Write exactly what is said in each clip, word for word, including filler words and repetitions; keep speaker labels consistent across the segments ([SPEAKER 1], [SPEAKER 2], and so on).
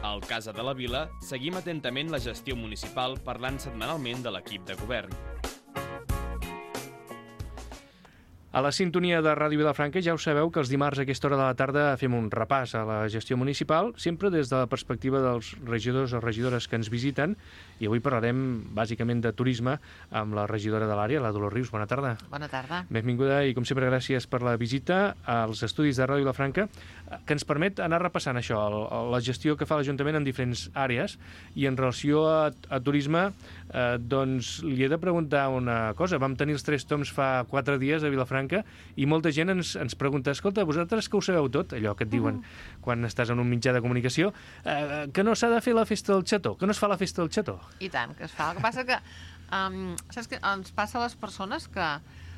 [SPEAKER 1] Al Casa de la Vila seguim atentament la gestió municipal parlant setmanalment de l'equip de govern.
[SPEAKER 2] A la sintonia de Ràdio Vilafranca ja ho sabeu que els dimarts a aquesta hora de la tarda fem un repàs a la gestió municipal, sempre des de la perspectiva dels regidors o regidores que ens visiten, i avui parlarem bàsicament de turisme amb la regidora de l'àrea, la Dolors Rius. Bona tarda.
[SPEAKER 3] Bona tarda.
[SPEAKER 2] Benvinguda i, com sempre, gràcies per la visita als estudis de Ràdio Vilafranca, que ens permet anar repassant això, la gestió que fa l'Ajuntament en diferents àrees, i en relació a, a turisme, eh, doncs li he de preguntar una cosa. Vam tenir els Tres Tombs fa quatre dies a Vilafranca i molta gent ens, ens pregunta, escolta, vosaltres que ho sabeu tot, allò que et diuen uh-huh. quan estàs en un mitjà de comunicació, eh, que no s'ha de fer la festa del xató, que no es fa la festa del xató.
[SPEAKER 3] I tant, que es fa. El que passa que, um, saps què? Ens passa a les persones que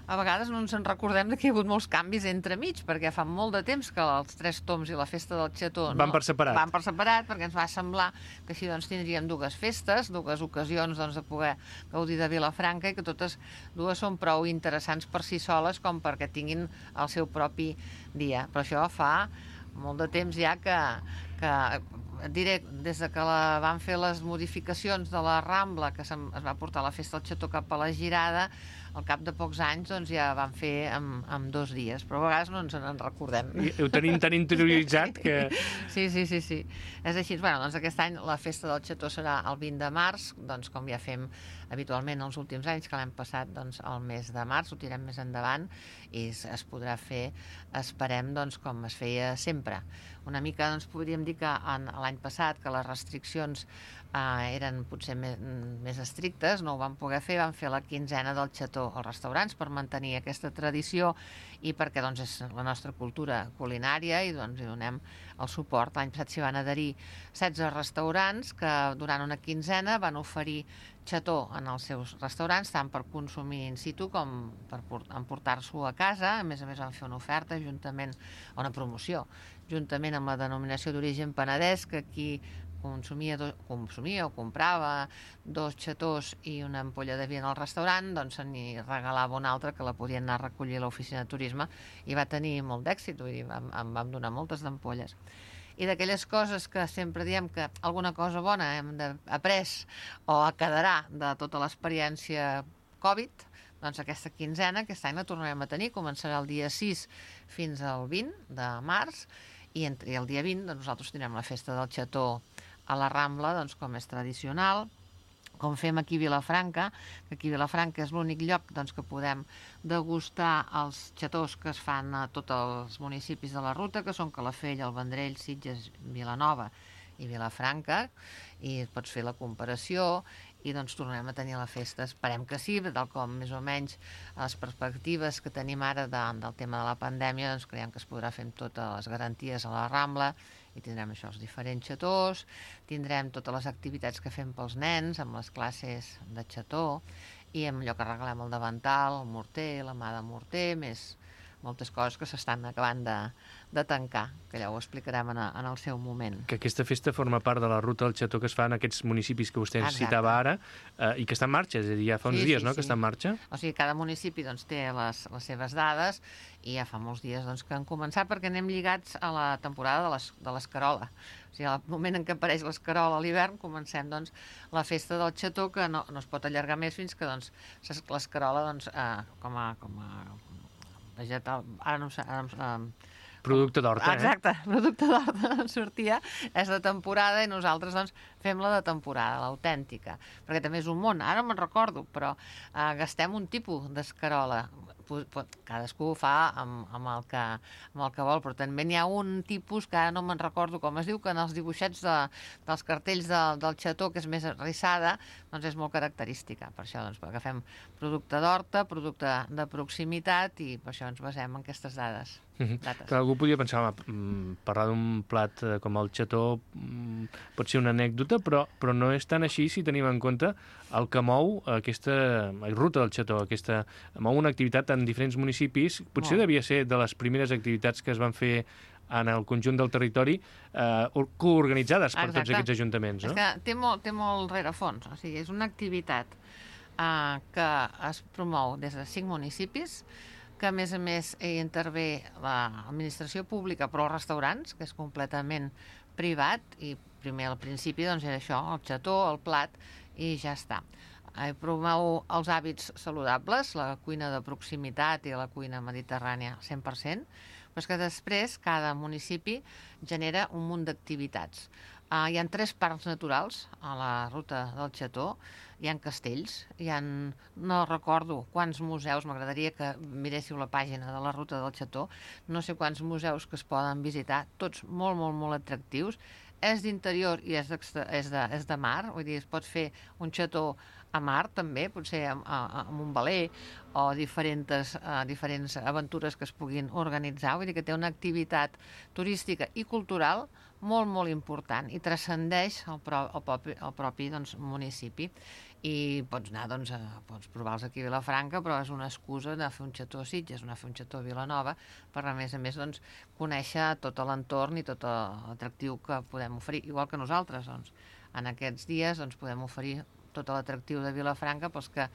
[SPEAKER 3] a vegades no ens en recordem que hi ha hagut molts canvis entremig, perquè fa molt de temps que els Tres Tombs i la festa del xató no,
[SPEAKER 2] van per separat.
[SPEAKER 3] Van per separat, perquè ens va semblar que així doncs, tindríem dues festes, dues ocasions doncs, de poder gaudir de Vilafranca, i que totes dues són prou interessants per si soles com perquè tinguin el seu propi dia. Però això fa molt de temps ja que, que et diré, des de que la, van fer les modificacions de la Rambla, que es va portar la festa del xató cap a la Girada, al cap de pocs anys doncs, ja van fer amb, amb dos dies, però a vegades no ens en recordem.
[SPEAKER 2] I ho tenim tan interioritzat que...
[SPEAKER 3] Sí, sí, sí, sí. És així. Bueno, doncs aquest any la festa del xató serà el vint de març, doncs com ja fem habitualment els últims anys, que l'hem passat doncs, el mes de març, ho tirem més endavant, i es, es podrà fer, esperem, doncs, com es feia sempre. Una mica, doncs, podríem dir que l'any passat, que les restriccions eh, eren potser més, més estrictes, no ho vam poder fer, vam fer la quinzena del xató als restaurants per mantenir aquesta tradició i perquè doncs, és la nostra cultura culinària i doncs, hi donem el suport. L'any passat s'hi van adherir setze restaurants que durant una quinzena van oferir xató en els seus restaurants, tant per consumir in situ com per emportar-s'ho a casa. A més a més van fer una oferta juntament, una promoció, juntament amb la denominació d'origen Penedès, que aquí consumia, do, consumia o comprava dos xatós i una ampolla de vi en el restaurant, doncs se n'hi regalava una altra que la podien anar a recollir a l'oficina de turisme, i va tenir molt d'èxit, vull dir, vam, em vam donar moltes d'ampolles. I d'aquelles coses que sempre diem que alguna cosa bona hem après o quedarà de tota l'experiència Covid, doncs aquesta quinzena, aquest any la tornarem a tenir, començarà el dia sis fins al vint de març, i entre el dia vint doncs, nosaltres tindrem la festa del xató a la Rambla, doncs, com és tradicional, com fem aquí a Vilafranca, que aquí a Vilafranca és l'únic lloc doncs, que podem degustar els xatós que es fan a tots els municipis de la ruta, que són Calafell, el Vendrell, Sitges, Vilanova i Vilafranca, i pots fer la comparació, i doncs tornarem a tenir la festa. Esperem que sí, tal com més o menys les perspectives que tenim ara de, del tema de la pandèmia, doncs creiem que es podrà fer amb totes les garanties a la Rambla, i tindrem això, els diferents xatós, tindrem totes les activitats que fem pels nens, amb les classes de xató, i amb allò que regalem el davantal, el morter, la mà de morter, més moltes coses que s'estan acabant de, de tancar, que ja ho explicarem en, a, en el seu moment.
[SPEAKER 2] Que aquesta festa forma part de la ruta del xató que es fa en aquests municipis que vostè ens citava ara, eh, i que està en marxa, és a dir, ja fa uns
[SPEAKER 3] sí,
[SPEAKER 2] dies,
[SPEAKER 3] sí,
[SPEAKER 2] no?,
[SPEAKER 3] sí.
[SPEAKER 2] que està en marxa.
[SPEAKER 3] O sigui, cada municipi doncs, té les, les seves dades, i ja fa molts dies doncs, que han començat, perquè anem lligats a la temporada de les, de l'escarola. O sigui, al moment en què apareix l'escarola a l'hivern, comencem doncs, la festa del xató, que no, no es pot allargar més fins que doncs, l'escarola doncs, eh, com a... Com a vegetal, ara no sé... Ara no sé eh,
[SPEAKER 2] producte d'horta, eh?
[SPEAKER 3] Exacte, producte d'horta ens sortia, és de temporada, i nosaltres doncs, fem la de temporada, l'autèntica, perquè també és un món, ara me'n recordo, però eh, gastem un tipus d'escarola, cadascú ho fa amb, amb, el que, amb el que vol, però també n'hi ha un tipus que ara no me'n recordo com es diu, que en els dibuixets de, dels cartells de, del xató, que és més rissada, doncs és molt característica. Per això doncs, agafem producte d'horta, producte de proximitat, i per això ens basem en aquestes dades.
[SPEAKER 2] Mm-hmm. Que algú podria pensar, home, parlar d'un plat com el xató pot ser una anècdota, però, però no és tan així si tenim en compte el que mou aquesta la ruta del xató, aquesta, mou una activitat en diferents municipis. Potser devia ser de les primeres activitats que es van fer en el conjunt del territori, eh, coorganitzades per Exacte. Tots aquests ajuntaments, no?
[SPEAKER 3] És que té molt, té molt rerefons, o sigui, és una activitat eh, que es promou des de cinc municipis, que a més a més hi intervé l'administració pública, però els restaurants, que és completament privat, i primer al principi doncs era això, el xató, el plat, i ja està. Eh, promou els hàbits saludables, la cuina de proximitat i la cuina mediterrània cent per cent, però és que després cada municipi genera un munt d'activitats. Uh, hi ha tres parcs naturals a la ruta del Xató, hi ha castells, hi ha, no recordo quants museus, m'agradaria que miréssiu la pàgina de la ruta del Xató, no sé quants museus que es poden visitar, tots molt, molt, molt atractius. És d'interior i és, és, de, és de mar, vull dir, es pot fer un xató a mar també, potser amb, amb un veler o diferents, uh, diferents aventures que es puguin organitzar, vull dir que té una activitat turística i cultural molt, molt important i transcendeix el, pro, el propi, el propi doncs, municipi. I pots anar, doncs, a, pots provar-los aquí a Vilafranca, però és una excusa de fer un xató a Sitges, anar a fer un xató a Vilanova, per a més a més doncs, conèixer tot l'entorn i tot l'atractiu que podem oferir, igual que nosaltres. Doncs, en aquests dies doncs, podem oferir tot l'atractiu de Vilafranca pels que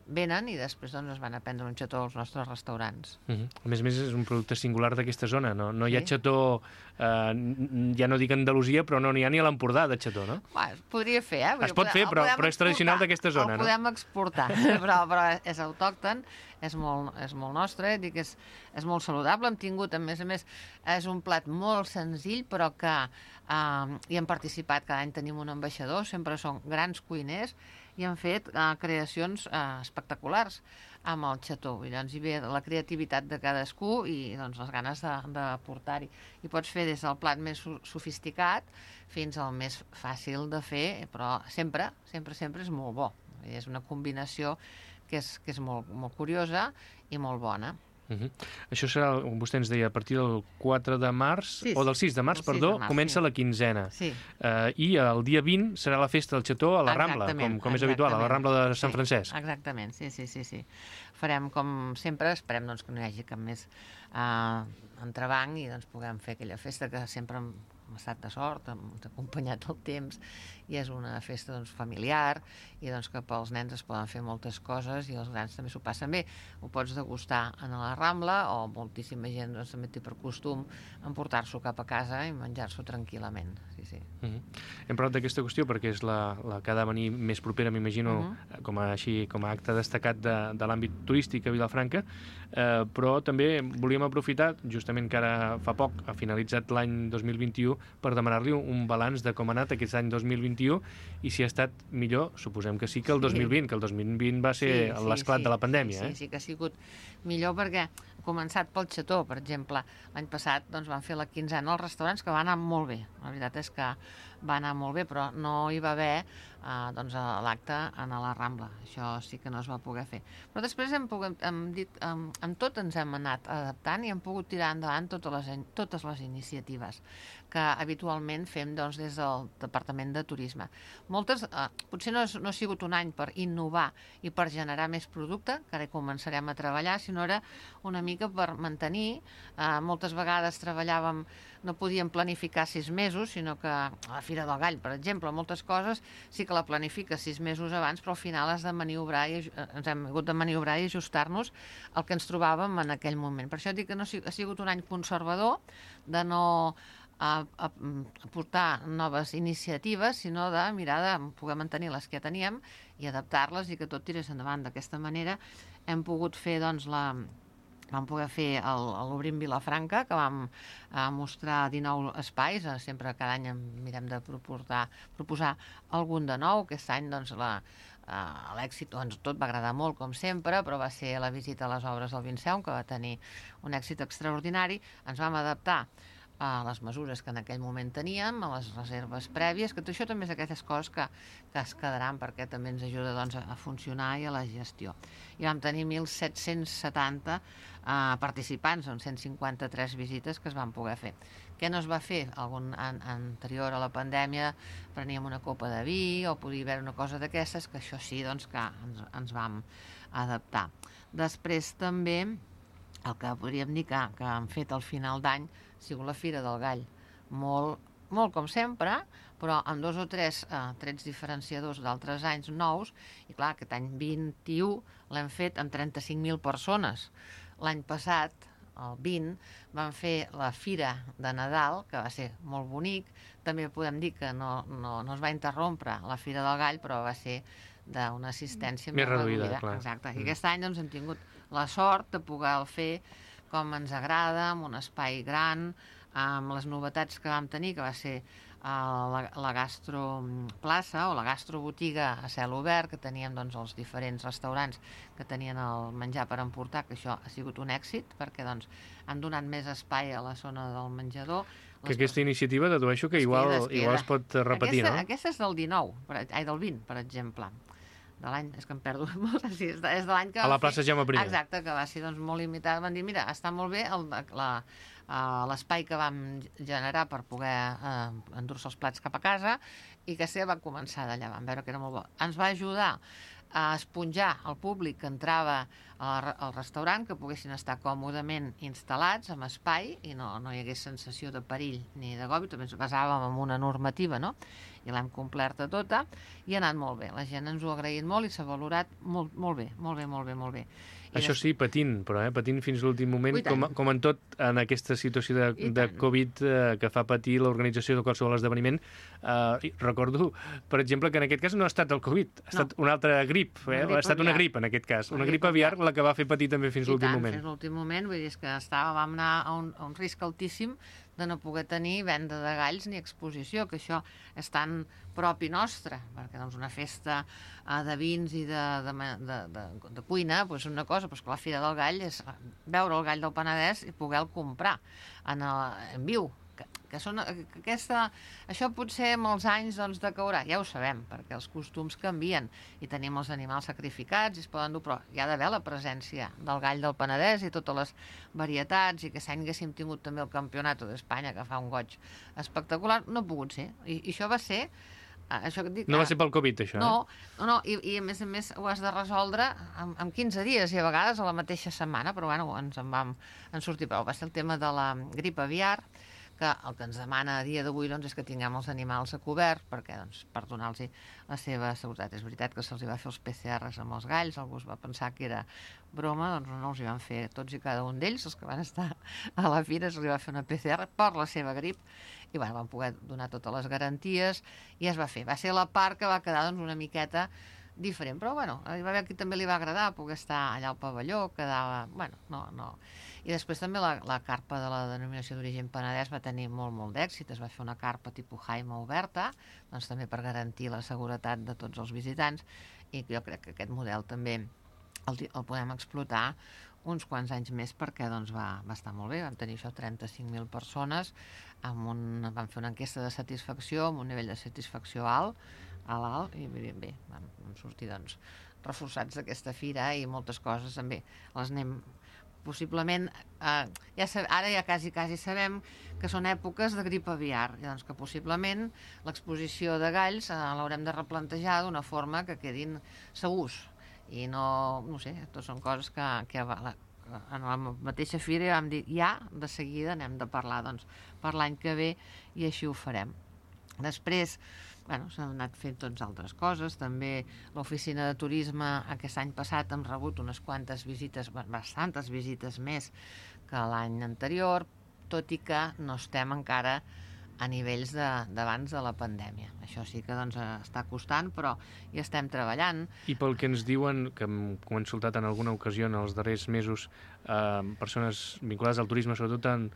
[SPEAKER 3] venen i després doncs, es van a prendre un xató als nostres restaurants.
[SPEAKER 2] Uh -huh. A més a més, és un producte singular d'aquesta zona, no? No hi ha
[SPEAKER 3] Sí.
[SPEAKER 2] xató, eh, ja no dic Andalusia, però no n'hi ha ni a l'Empordà de xató, no?
[SPEAKER 3] Bueno, es podria fer, eh? Vull
[SPEAKER 2] Es
[SPEAKER 3] dir,
[SPEAKER 2] pot
[SPEAKER 3] podem-
[SPEAKER 2] fer,
[SPEAKER 3] el
[SPEAKER 2] però-
[SPEAKER 3] podem
[SPEAKER 2] però és tradicional
[SPEAKER 3] exportar,
[SPEAKER 2] d'aquesta zona,
[SPEAKER 3] el
[SPEAKER 2] no?
[SPEAKER 3] podem exportar, però, però és autòcton, és molt, és molt nostre, dic, és, és molt saludable. Hem tingut, a més a més, és un plat molt senzill, però que eh, hi hem participat, cada any tenim un ambaixador, sempre són grans cuiners, i han fet eh, creacions eh, espectaculars amb el xató. I llavors hi ve la creativitat de cadascú i doncs, les ganes de, de portar-hi. I pots fer des del plat més so- sofisticat fins al més fàcil de fer, però sempre, sempre, sempre és molt bo. És una combinació que és, que és molt, molt curiosa i molt bona.
[SPEAKER 2] Uh -huh. Això serà, vostè ens deia, a partir del quatre de març,
[SPEAKER 3] Sí,
[SPEAKER 2] o del sis de març,
[SPEAKER 3] el sis
[SPEAKER 2] perdó,
[SPEAKER 3] de març,
[SPEAKER 2] comença
[SPEAKER 3] sí.
[SPEAKER 2] la quinzena.
[SPEAKER 3] Sí.
[SPEAKER 2] Uh, I el dia vint serà la festa del xató a la Rambla,
[SPEAKER 3] Exactament,
[SPEAKER 2] com, com és habitual, a la
[SPEAKER 3] exactament.
[SPEAKER 2] Rambla de Sant
[SPEAKER 3] Sí,
[SPEAKER 2] Francesc.
[SPEAKER 3] Exactament, sí, sí, sí, sí. Farem com sempre, esperem doncs, que no hi hagi cap més uh, entrebanc i doncs, puguem fer aquella festa que sempre hem hem estat de sort, hem acompanyat el temps, i és una festa doncs, familiar, i doncs, que pels nens es poden fer moltes coses i els grans també s'ho passen bé. Ho pots degustar a la Rambla, o moltíssima gent doncs, també té per costum emportar-s'ho cap a casa i menjar-s'ho tranquil·lament. Sí, sí.
[SPEAKER 2] Uh -huh. Hem parlat d'aquesta qüestió perquè és la, la que ha de venir més propera, m'imagino, uh -huh. com, a, així, com a acte destacat de, de l'àmbit turístic a Vilafranca, eh, però també volíem aprofitar, justament que ara fa poc ha finalitzat l'any dos mil vint-i-u, per demanar-li un balanç de com ha anat aquest any dos mil vint-i-u i si ha estat millor, suposem que sí, que el dos mil vint, que el dos mil vint va ser
[SPEAKER 3] Sí, sí,
[SPEAKER 2] l'esclat
[SPEAKER 3] sí,
[SPEAKER 2] de la pandèmia.
[SPEAKER 3] Sí,
[SPEAKER 2] eh?
[SPEAKER 3] sí, sí que ha sigut millor perquè ha començat pel xató, per exemple. L'any passat doncs, van fer la quinzena als restaurants, que va anar molt bé. La veritat és que va anar molt bé, però no hi va haver eh, doncs, l'acte a la Rambla. Això sí que no es va poder fer. Però després hem, pogut, hem dit, amb, amb tot ens hem anat adaptant i hem pogut tirar endavant totes les, totes les iniciatives que habitualment fem doncs, des del Departament de Turisme. Moltes, eh, potser no, és, no ha sigut un any per innovar i per generar més producte, que ara hi començarem a treballar, sinó era una mica per mantenir. Eh, moltes vegades treballàvem, no podíem planificar sis mesos, sinó que a la Fira del Gall, per exemple, moltes coses sí que la planifiques sis mesos abans, però al final has de maniobrar i, ens hem hagut de maniobrar i ajustar-nos al que ens trobàvem en aquell moment. Per això dic que no ha sigut un any conservador, de no a, a, a portar noves iniciatives, sinó de mirar de poder mantenir les que ja teníem i adaptar-les i que tot tirés endavant. D'aquesta manera hem pogut fer doncs, la... vam poder fer l'Obrim Vilafranca, que vam eh, mostrar dinou espais, eh, sempre cada any mirem de proposar, proposar algun de nou. Aquest any doncs, la, eh, l'èxit, doncs, tot va agradar molt, com sempre, però va ser la visita a les obres del Vinceum, que va tenir un èxit extraordinari. Ens vam adaptar a les mesures que en aquell moment teníem, a les reserves prèvies, que tot això també és aquelles coses que, que es quedaran perquè també ens ajuda doncs, a funcionar i a la gestió. I vam tenir mil set-cents setanta eh, participants, en cent cinquanta-tres visites que es van poder fer. Què no es va fer? Algun an anterior a la pandèmia preníem una copa de vi o podia haver una cosa d'aquestes, que això sí, doncs que ens, ens vam adaptar. Després també el que podríem dir que, que han fet al final d'any ha sigut la Fira del Gall. Molt, molt com sempre, però amb dos o tres eh, trets diferenciadors d'altres anys nous, i clar, aquest any vint-i-u l'hem fet amb trenta-cinc mil persones. l'any passat, el vint, van fer la Fira de Nadal, que va ser molt bonic. També podem dir que no, no, no es va interrompre la Fira del Gall, però va ser d'una assistència
[SPEAKER 2] més reduïda. Clar.
[SPEAKER 3] Exacte. I aquest any doncs, hem tingut la sort de poder fer com ens agrada, amb un espai gran, amb les novetats que vam tenir, que va ser la, la gastroplaça o la gastrobotiga a cel obert, que teníem doncs, els diferents restaurants que tenien el menjar per emportar, que això ha sigut un èxit, perquè doncs, han donat més espai a la zona del menjador.
[SPEAKER 2] Que aquesta iniciativa, dedueixo que igual, es queda, igual es pot repetir,
[SPEAKER 3] aquesta,
[SPEAKER 2] no?
[SPEAKER 3] Aquesta és del dinou, per, ai, del vint, per exemple. De l'any, és que em perdo molt, sí, és de, és de l'any que...
[SPEAKER 2] A la plaça Jaume primer.
[SPEAKER 3] Exacte, que va ser doncs, molt limitada. Van dir, mira, està molt bé el, la, l'espai que vam generar per poder eh, endur-se els plats cap a casa, i que se va començar d'allà, vam veure que era molt bo. Ens va ajudar a esponjar el públic que entrava al restaurant, que poguessin estar còmodament instal·lats amb espai i no, no hi hagués sensació de perill ni de gobi. També ens basàvem en una normativa, no? I l'hem complerta tota i ha anat molt bé. La gent ens ho ha agraït molt i s'ha valorat molt, molt bé, molt bé, molt bé, molt bé. I
[SPEAKER 2] això sí, patint, però eh? patint fins l'últim moment, com, com en tot en aquesta situació de, de Covid eh, que fa patir l'organització de qualsevol esdeveniment. Eh, recordo, per exemple, que en aquest cas no ha estat el Covid, ha estat no. una altra grip, eh? ha estat una grip en aquest cas, una, una grip aviar, la que va fer patir també fins l'últim moment.
[SPEAKER 3] Fins l'últim moment, vull dir que estava, vam anar a un, a un risc altíssim de no poder tenir venda de galls ni exposició, que això és tan propi nostre, perquè doncs, una festa eh, de vins i de, de, de, de, de cuina, doncs una cosa, però que la Fira del Gall és veure el gall del Penedès i poder-lo comprar en, el, en viu. Que, que són, que aquesta, això potser molts anys doncs, decaurà, ja ho sabem, perquè els costums canvien i tenim els animals sacrificats i es poden dur, però hi ha d'haver la presència del gall del Penedès i totes les varietats, i que s'any haguéssim tingut també el Campionat d'Espanya, que fa un goig espectacular, no ha pogut ser, i, i això va ser això que et dic,
[SPEAKER 2] no va ser pel Covid, això,
[SPEAKER 3] no, eh? No, no, i, i a més a més ho has de resoldre en, en quinze dies i a vegades a la mateixa setmana, però bueno, ens en vam en sortir prou. Va ser el tema de la grip aviar, que el que ens demana a dia d'avui doncs, és que tinguem els animals a cobert, perquè doncs, per donar-los la seva seguretat. És veritat que se'ls va fer els P C Rs amb els galls, algú es va pensar que era broma, doncs no els hi van fer tots i cada un d'ells, els que van estar a la fira, se'ls va fer una P C R per la seva grip, i bueno, van poder donar totes les garanties, i es va fer. Va ser la part que va quedar doncs, una miqueta diferent, però bueno, hi va haver qui també li va agradar poder estar allà al pavelló, quedava, bueno, no, no. I després també la, la carpa de la denominació d'origen Penedès va tenir molt, molt d'èxit, es va fer una carpa tipus Jaime oberta, doncs també per garantir la seguretat de tots els visitants, i jo crec que aquest model també el, el podem explotar uns quants anys més perquè doncs, va, va estar molt bé. Vam tenir això trenta-cinc mil persones, amb un, vam fer una enquesta de satisfacció amb un nivell de satisfacció alt, a l'alt, i bé, bé vam, vam sortir doncs, reforçats d'aquesta fira i moltes coses també les anem possiblement, eh, ja sab, ara ja quasi, quasi sabem que són èpoques de grip aviar, doncs que possiblement l'exposició de galls eh, l'haurem de replantejar d'una forma que quedin segurs, i no, no sé, tot són coses que, que la, en la mateixa fira vam dir, ja, de seguida anem de parlar, doncs, per l'any que ve, i així ho farem. Després, bueno, s'han anat fent tots altres coses, també l'oficina de turisme aquest any passat hem rebut unes quantes visites, bastantes visites més que l'any anterior, tot i que no estem encara a nivells d'abans de, de la pandèmia. Això sí que doncs, està costant, però hi estem treballant.
[SPEAKER 2] I pel que ens diuen, que hem consultat en alguna ocasió en els darrers mesos, eh, persones vinculades al turisme, sobretot en,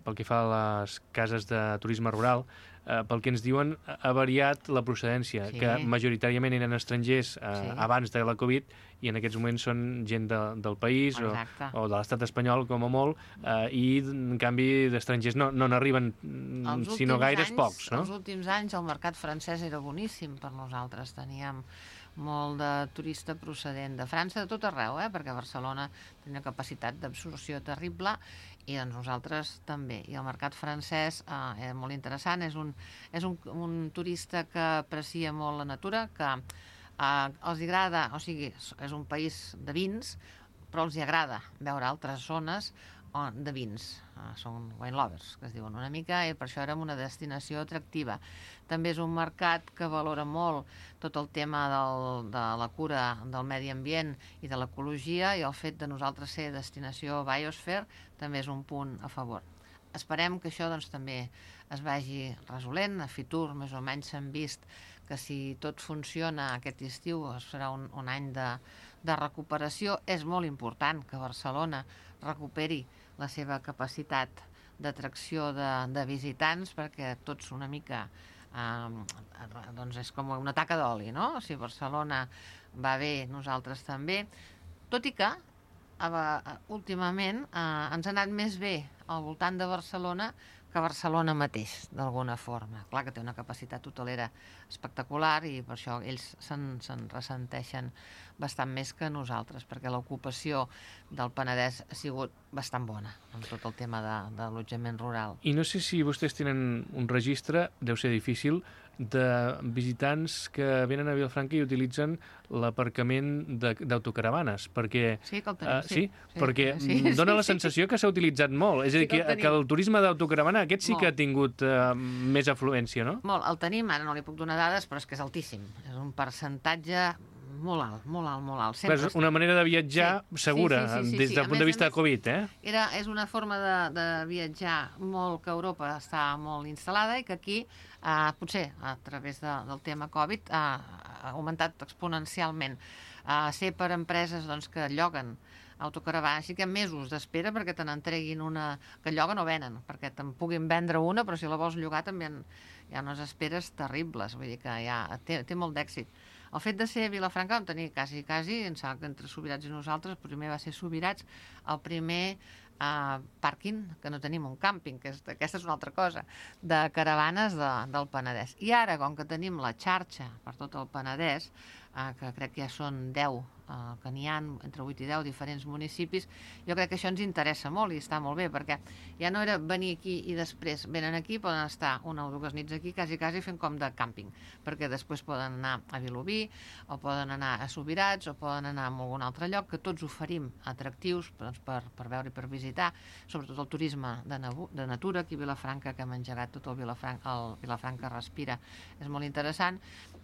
[SPEAKER 2] pel que fa a les cases de turisme rural, eh, pel que ens diuen, ha variat la procedència, sí. que majoritàriament eren estrangers eh, sí. abans de la Covid, i en aquests moments són gent de, del país o, o de l'estat espanyol, com a molt, eh, i en canvi d'estrangers no n'arriben, sinó gaires anys, pocs. No?
[SPEAKER 3] Els últims anys el mercat francès era boníssim per nosaltres, teníem molt de turista procedent de França, de tot arreu, eh? perquè Barcelona tenia una capacitat d'absorció terrible, i doncs nosaltres també. I el mercat francès eh, és molt interessant, és, un, és un, un turista que aprecia molt la natura, que eh, els agrada, o sigui, és un país de vins, però els agrada veure altres zones de vins, són wine lovers, que es diuen una mica, i per això érem una destinació atractiva. També és un mercat que valora molt tot el tema del, de la cura del medi ambient i de l'ecologia, i el fet de nosaltres ser destinació Biosphere també és un punt a favor. Esperem que això doncs, també es vagi resolent. A Fitur més o menys s'han vist que si tot funciona aquest estiu serà un, un any de, de recuperació. És molt important que Barcelona recuperi la seva capacitat d'atracció de, de visitants, perquè tots una mica eh, doncs és com una taca d'oli, no? Si Barcelona va bé, nosaltres també, tot i que eh, últimament eh, ens ha anat més bé al voltant de Barcelona que Barcelona mateix, d'alguna forma. Clar que té una capacitat hotelera espectacular i per això ells se'n se'n ressenteixen bastant més que nosaltres, perquè l'ocupació del Penedès ha sigut bastant bona amb tot el tema de, de l'allotjament rural.
[SPEAKER 2] I no sé si vostès tenen un registre, deu ser difícil, de visitants que venen a Vilafranca i utilitzen l'aparcament d'autocaravanes, perquè...
[SPEAKER 3] Sí, que el tenim,
[SPEAKER 2] uh,
[SPEAKER 3] sí.
[SPEAKER 2] sí. Sí, perquè sí, dona sí, la sensació sí. que s'ha utilitzat molt. És a dir, sí, que, que, que el turisme d'autocaravana aquest sí molt. que ha tingut uh, més afluència, no?
[SPEAKER 3] Molt, el tenim, ara no li puc donar dades, però és que és altíssim. És un percentatge molt alt, molt alt, molt alt.
[SPEAKER 2] Sempre és una manera de viatjar sí. segura, sí, sí, sí, sí, des del sí. punt més, de vista de Covid, eh?
[SPEAKER 3] Era, és una forma de, de viatjar molt que Europa està molt instal·lada i que aquí, eh, potser a través de, del tema Covid, eh, ha augmentat exponencialment. Eh, ser per empreses doncs, que lloguen autocaravanes, així que mesos d'espera perquè te n'entreguin una que lloguen o venen, perquè te'n puguin vendre una, però si la vols llogar també hi ha unes esperes terribles, vull dir que ja té, té molt d'èxit. El fet de ser a Vilafranca vam tenir quasi, quasi, em sembla que entre Subirats i nosaltres, primer va ser Subirats, el primer eh, pàrquing, que no tenim un càmping, que és, aquesta és una altra cosa, de caravanes de, del Penedès. I ara, com que tenim la xarxa per tot el Penedès, eh, que crec que ja són deu, eh, que n'hi ha entre vuit i deu diferents municipis, jo crec que això ens interessa molt i està molt bé, perquè ja no era venir aquí i després venen aquí, poden estar una o dues nits aquí, quasi, quasi fent com de càmping, perquè després poden anar a Vilobí, o poden anar a Subirats, o poden anar a algun altre lloc, que tots oferim atractius doncs, per, per veure i per visitar, sobretot el turisme de, de natura, aquí a Vilafranca, que hem engegat tot el Vilafranca, el Vilafranca Respira, és molt interessant,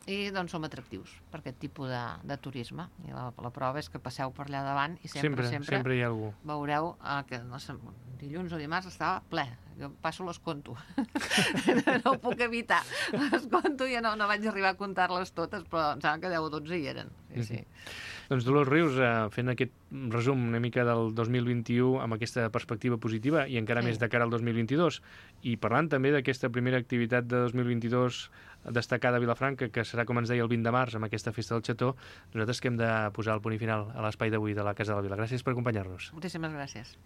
[SPEAKER 3] i doncs som atractius per aquest tipus de, de turisme. I la, la prova és que passeu per allà davant i sempre,
[SPEAKER 2] sempre,
[SPEAKER 3] sempre,
[SPEAKER 2] sempre hi ha algú.
[SPEAKER 3] Veureu eh, que no sé, dilluns o dimarts estava ple. Jo passo les conto. No ho puc evitar. Les conto i ja no, no vaig arribar a comptar-les totes, però em sembla que deu o dotze hi eren. Sí, sí.
[SPEAKER 2] Doncs Dolors Rius, eh, fent aquest resum una mica del dos mil vint-i-u amb aquesta perspectiva positiva i encara sí. més de cara al dos mil vint-i-dos, i parlant també d'aquesta primera activitat de dos mil vint-i-dos destacada a Vilafranca, que serà, com ens deia, el vint de març amb aquesta festa del Xató, nosaltres que hem de posar el punt i final a l'espai d'avui de la Casa de la Vila. Gràcies per acompanyar-nos.
[SPEAKER 3] Moltíssimes gràcies.